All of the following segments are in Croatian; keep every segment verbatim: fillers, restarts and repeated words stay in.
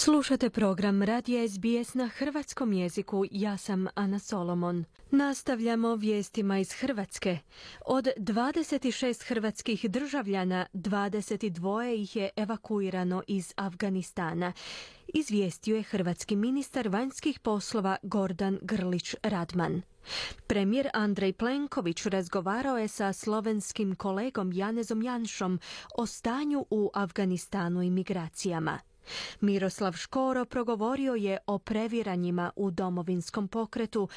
Slušate program Radija S B S na hrvatskom jeziku. Ja sam Ana Solomon. Nastavljamo vijestima iz Hrvatske. Od dvadeset šest hrvatskih državljana, dvadeset dva ih je evakuirano iz Afganistana. Izvijestio je hrvatski ministar vanjskih poslova Gordan Grlić Radman. Premijer Andrej Plenković razgovarao je sa slovenskim kolegom Janezom Janšom o stanju u Afganistanu i migracijama. Miroslav Škoro progovorio je o previranjima u domovinskom pokretu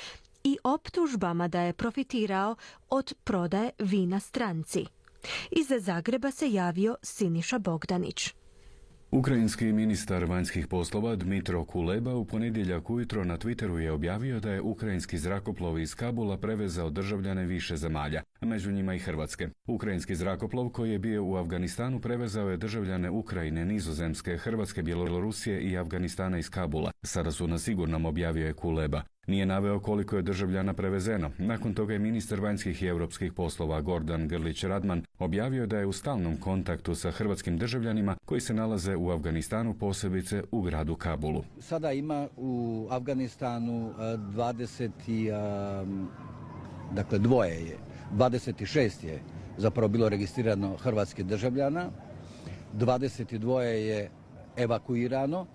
i optužbama da je profitirao od prodaje vina stranci. Iz Zagreba se javio Siniša Bogdanić. Ukrajinski ministar vanjskih poslova Dmitro Kuleba u ponedjeljak ujutro na Twitteru je objavio da je ukrajinski zrakoplov iz Kabula prevezao državljane više zemalja, a među njima i Hrvatske. Ukrajinski zrakoplov koji je bio u Afganistanu prevezao je državljane Ukrajine, Nizozemske, Hrvatske, Bjelorusije i Afganistana iz Kabula. Sada su na sigurnom, objavio je Kuleba. Nije naveo koliko je državljana prevezeno. Nakon toga je ministar vanjskih i europskih poslova Gordan Grlić Radman objavio da je u stalnom kontaktu sa hrvatskim državljanima koji se nalaze u Afganistanu, posebice u gradu Kabulu. Sada ima u Afganistanu dvadeset, dakle dvoje je, dvadeset šest je zapravo bilo registrirano hrvatskih državljana, dvadeset dva je evakuirano.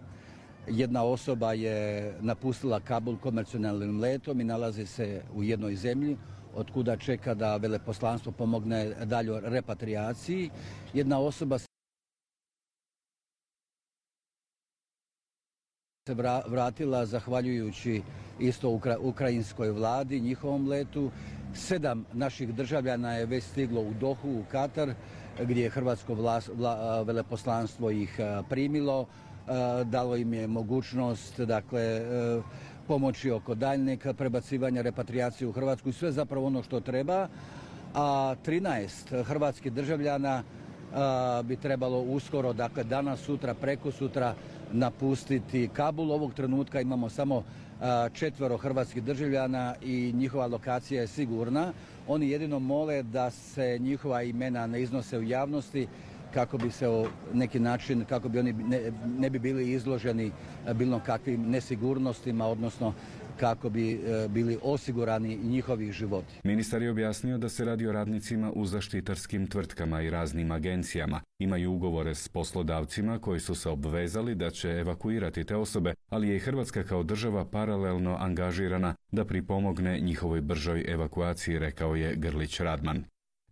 Jedna osoba je napustila Kabul komercijalnim letom i nalazi se u jednoj zemlji, od kuda čeka da veleposlanstvo pomogne daljoj repatriaciji. Jedna osoba se vratila zahvaljujući isto ukrajinskoj vladi, njihovom letu. Sedam naših državljana je već stiglo u Dohu, u Katar, gdje je hrvatsko vlast, vla, veleposlanstvo ih primilo. Dalo im je mogućnost, dakle, pomoći oko daljnjeg prebacivanja, repatriacije u Hrvatsku i sve zapravo ono što treba. A trinaest hrvatskih državljana bi trebalo uskoro, dakle danas, sutra, preko sutra napustiti Kabul. Ovog trenutka imamo samo četvero hrvatskih državljana i njihova lokacija je sigurna. Oni jedino mole da se njihova imena ne iznose u javnosti, kako bi se o neki način, kako bi oni ne, ne bi bili izloženi bilo kakvim nesigurnostima, odnosno kako bi bili osigurani njihovi životi. Ministar je objasnio da se radi o radnicima u zaštitarskim tvrtkama i raznim agencijama. Imaju ugovore s poslodavcima koji su se obvezali da će evakuirati te osobe, ali je i Hrvatska kao država paralelno angažirana da pripomogne njihovoj bržoj evakuaciji, rekao je Grlić Radman.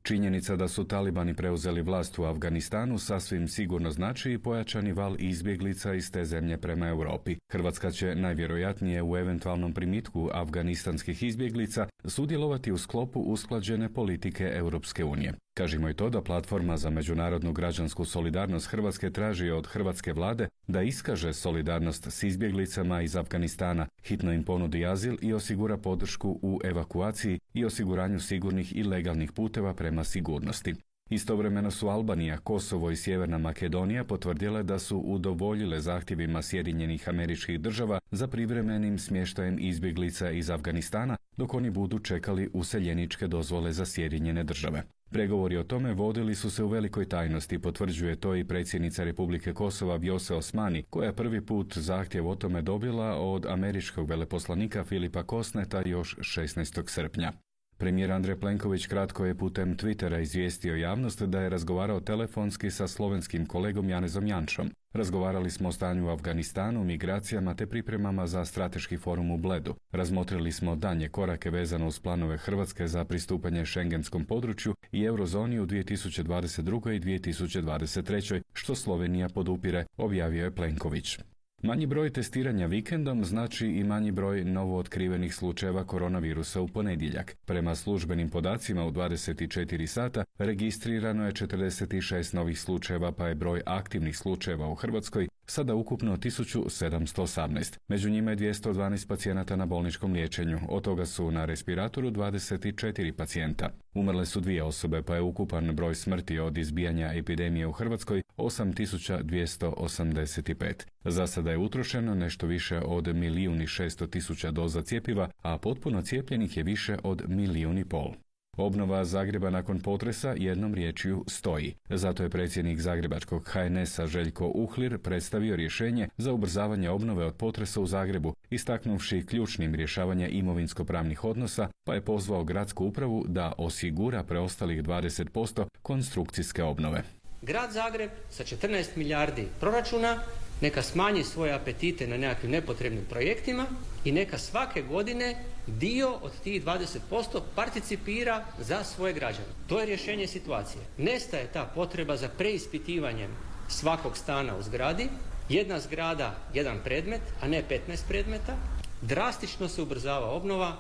Činjenica da su talibani preuzeli vlast u Afganistanu sasvim sigurno znači i pojačani val izbjeglica iz te zemlje prema Europi. Hrvatska će najvjerojatnije u eventualnom primitku afganistanskih izbjeglica sudjelovati u sklopu usklađene politike Europske unije. Kažimo i to da Platforma za međunarodnu građansku solidarnost Hrvatske traži od hrvatske vlade da iskaže solidarnost s izbjeglicama iz Afganistana, hitno im ponudi azil i osigura podršku u evakuaciji i osiguranju sigurnih i legalnih puteva prema sigurnosti. Istovremeno su Albanija, Kosovo i Sjeverna Makedonija potvrdile da su udovoljile zahtjevima Sjedinjenih Američkih Država za privremenim smještajem izbjeglica iz Afganistana, dok oni budu čekali useljeničke dozvole za Sjedinjene Države. Pregovori o tome vodili su se u velikoj tajnosti, potvrđuje to i predsjednica Republike Kosova Vjose Osmani, koja je prvi put zahtjev o tome dobila od američkog veleposlanika Filipa Kosneta još šesnaestog srpnja. Premijer Andrej Plenković kratko je putem Twittera izvijestio javnost da je razgovarao telefonski sa slovenskim kolegom Janezom Janšom. Razgovarali smo o stanju u Afganistanu, migracijama te pripremama za strateški forum u Bledu. Razmotrili smo daljnje korake vezano uz planove Hrvatske za pristupanje šengenskom području i eurozoni u dvije tisuće dvadeset drugoj i dvije tisuće dvadeset trećoj, što Slovenija podupire, objavio je Plenković. Manji broj testiranja vikendom znači i manji broj novootkrivenih slučajeva koronavirusa u ponedjeljak. Prema službenim podacima u dvadeset četiri sata registrirano je četrdeset šest novih slučajeva, pa je broj aktivnih slučajeva u Hrvatskoj sada ukupno tisuću sedamsto osamnaest. Među njima je dvjesto dvanaest pacijenata na bolničkom liječenju, od toga su na respiratoru dvadeset četiri pacijenta. Umrle su dvije osobe, pa je ukupan broj smrti od izbijanja epidemije u Hrvatskoj osam tisuća dvjesto osamdeset pet. Za sada je utrošeno nešto više od milijun i šesto tisuća doza cjepiva, a potpuno cijepljenih je više od milijun i pol. Obnova Zagreba nakon potresa jednom riječju stoji. Zato je predsjednik zagrebačkog ha en es a Željko Uhlir predstavio rješenje za ubrzavanje obnove od potresa u Zagrebu, istaknuvši ključnim rješavanje imovinsko-pravnih odnosa, pa je pozvao gradsku upravu da osigura preostalih dvadeset posto konstrukcijske obnove. Grad Zagreb sa četrnaest milijardi proračuna neka smanji svoje apetite na nekakvim nepotrebnim projektima i neka svake godine dio od tih dvadeset posto participira za svoje građane. To je rješenje situacije. Nestaje ta potreba za preispitivanjem svakog stana u zgradi, jedna zgrada, jedan predmet, a ne petnaest predmeta. Drastično se ubrzava obnova,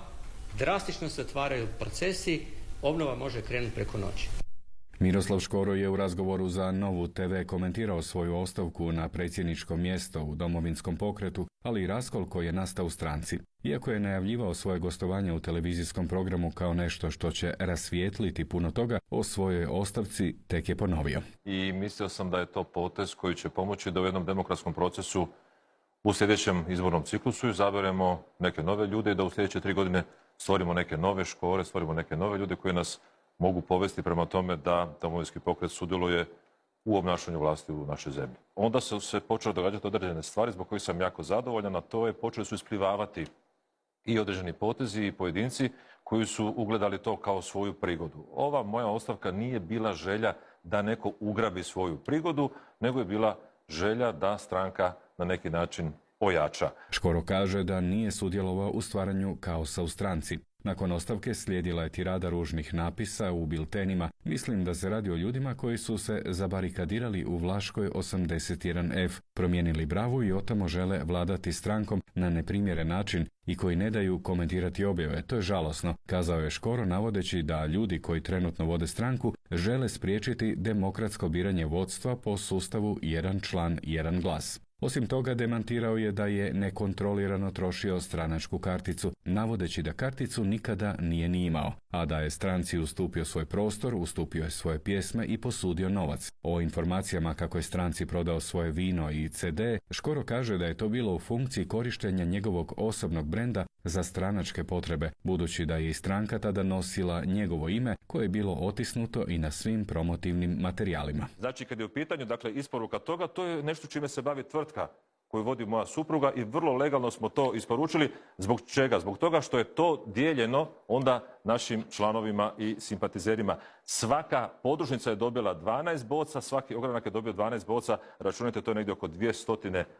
drastično se otvaraju procesi, obnova može krenuti preko noći. Miroslav Škoro je u razgovoru za Novu te ve komentirao svoju ostavku na predsjedničko mjesto u Domovinskom pokretu, ali i raskol koji je nastao u stranci. Iako je najavljivao svoje gostovanje u televizijskom programu kao nešto što će rasvijetliti puno toga, o svojoj ostavci tek je ponovio. I mislio sam da je to potez koji će pomoći da u jednom demokratskom procesu u sljedećem izbornom ciklusu izaberemo neke nove ljude i da u sljedeće tri godine stvorimo neke nove škole, stvorimo neke nove ljude koji nas mogu povesti prema tome da Domovinski pokret sudjeluje u obnašanju vlasti u našoj zemlji. Onda su se počele događati određene stvari zbog kojih sam jako zadovoljan, a to je počeli su isplivavati i određeni potezi i pojedinci koji su ugledali to kao svoju prigodu. Ova moja ostavka nije bila želja da neko ugrabi svoju prigodu, nego je bila želja da stranka na neki način ojača. Škoro kaže da nije sudjelovao u stvaranju kaosa u stranci. Nakon ostavke slijedila je tirada ružnih napisa u biltenima. Mislim da se radi o ljudima koji su se zabarikadirali u Vlaškoj osamdeset jedan ef, promijenili bravu i otamo žele vladati strankom na neprimjeren način i koji ne daju komentirati objave. To je žalosno, kazao je Škoro navodeći da ljudi koji trenutno vode stranku žele spriječiti demokratsko biranje vodstva po sustavu jedan član, jedan glas. Osim toga, demantirao je da je nekontrolirano trošio stranačku karticu, navodeći da karticu nikada nije ni imao, a da je stranci ustupio svoj prostor, ustupio je svoje pjesme i posudio novac. O informacijama kako je stranci prodao svoje vino i ce de, Škoro kaže da je to bilo u funkciji korištenja njegovog osobnog brenda za stranačke potrebe, budući da je i stranka tada nosila njegovo ime koje je bilo otisnuto i na svim promotivnim materijalima. Znači, kad je u pitanju dakle, isporuka toga, to je nešto čime se bavi tvrtka koju vodi moja supruga i vrlo legalno smo to isporučili. Zbog čega? Zbog toga što je to dijeljeno onda našim članovima i simpatizerima. Svaka podružnica je dobila dvanaest boca, svaki ogranak je dobio dvanaest boca. Računajte, to je negdje oko dvjesto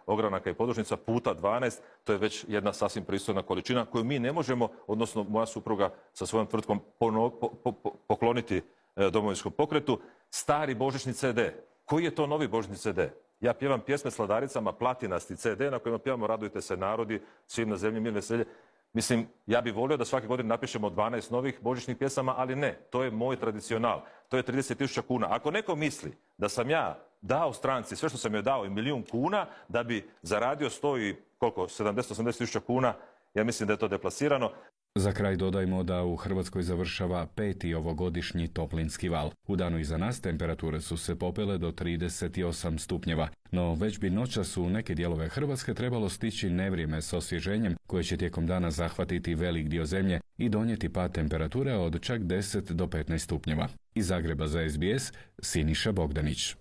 ogranaka i podružnica puta dvanaest. To je već jedna sasvim pristojna količina koju mi ne možemo, odnosno moja supruga sa svojom tvrtkom pono, po, po, po, pokloniti e, Domovinskom pokretu. Stari božićni ce de. Koji je to novi božićni ce de? Ja pjevam pjesme s Vladaricama, platinasti ce de na kojima pjevamo Radujte se narodi, svim na zemlji mir veselje. Mislim, ja bih volio da svake godine napišemo dvanaest novih božićnih pjesama, ali ne, to je moj tradicional. To je trideset tisuća kuna. Ako neko misli da sam ja dao stranci sve što sam joj dao i milijun kuna, da bi zaradio sto i koliko, sedamdeset do osamdeset tisuća kuna, ja mislim da je to deplasirano. Za kraj dodajmo da u Hrvatskoj završava peti ovogodišnji toplinski val. U danu iza nas temperature su se popele do trideset osam stupnjeva, no već bi noćas u neke dijelove Hrvatske trebalo stići nevrijeme s osvježenjem koje će tijekom dana zahvatiti velik dio zemlje i donijeti pad temperature od čak deset do petnaest stupnjeva. Iz Zagreba za es be es, Siniša Bogdanić.